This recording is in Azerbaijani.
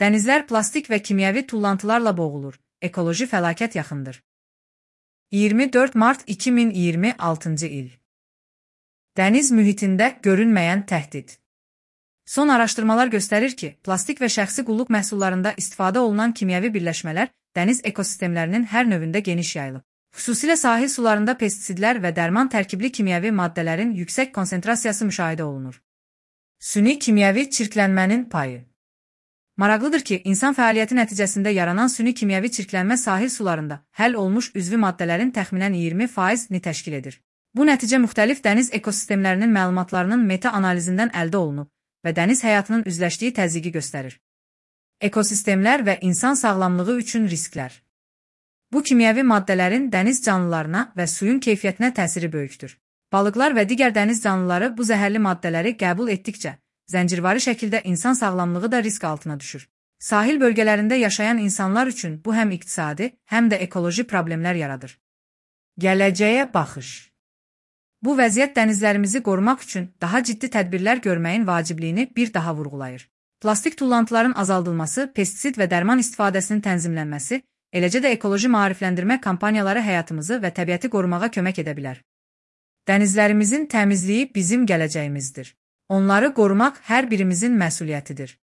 Dənizlər plastik və kimyəvi tullantılarla boğulur. Ekoloji fəlakət yaxındır. 24 mart 2026-cı il. Dəniz mühitində görünməyən təhdid. Son araşdırmalar göstərir ki, plastik və şəxsi qulluq məhsullarında istifadə olunan kimyəvi birləşmələr dəniz ekosistemlərinin hər növündə geniş yayılıb. Xüsusilə sahil sularında pestisidlər və dərman tərkibli kimyəvi maddələrin yüksək konsentrasiyası müşahidə olunur. Süni kimyəvi çirklənmənin payı. Maraqlıdır ki, insan fəaliyyəti nəticəsində yaranan süni kimyəvi çirklənmə sahil sularında həll olmuş üzvi maddələrin təxminən 20%-ni təşkil edir. Bu nəticə müxtəlif dəniz ekosistemlərinin məlumatlarının meta-analizindən əldə olunub və dəniz həyatının üzləşdiyi təzyiqi göstərir. Ekosistemlər və insan sağlamlığı üçün risklər. Bu kimyəvi maddələrin dəniz canlılarına və suyun keyfiyyətinə təsiri böyükdür. Balıqlar və digər dəniz canlıları bu zəhərli maddələri qəbul etdikcə, zəncirvari şəkildə insan sağlamlığı da risk altına düşür. Sahil bölgələrində yaşayan insanlar üçün bu həm iqtisadi, həm də ekoloji problemlər yaradır. Gələcəyə baxış. Bu vəziyyət dənizlərimizi qorumaq üçün daha ciddi tədbirlər görməyin vacibliyini bir daha vurğulayır. Plastik tullantıların azaldılması, pestisid və dərman istifadəsinin tənzimlənməsi, eləcə də ekoloji maarifləndirmə kampaniyaları həyatımızı və təbiəti qorumağa kömək edə bilər. Dənizlərimizin təmizliyi bizim gələcəyimizdir. Onları qorumaq hər birimizin məsuliyyətidir.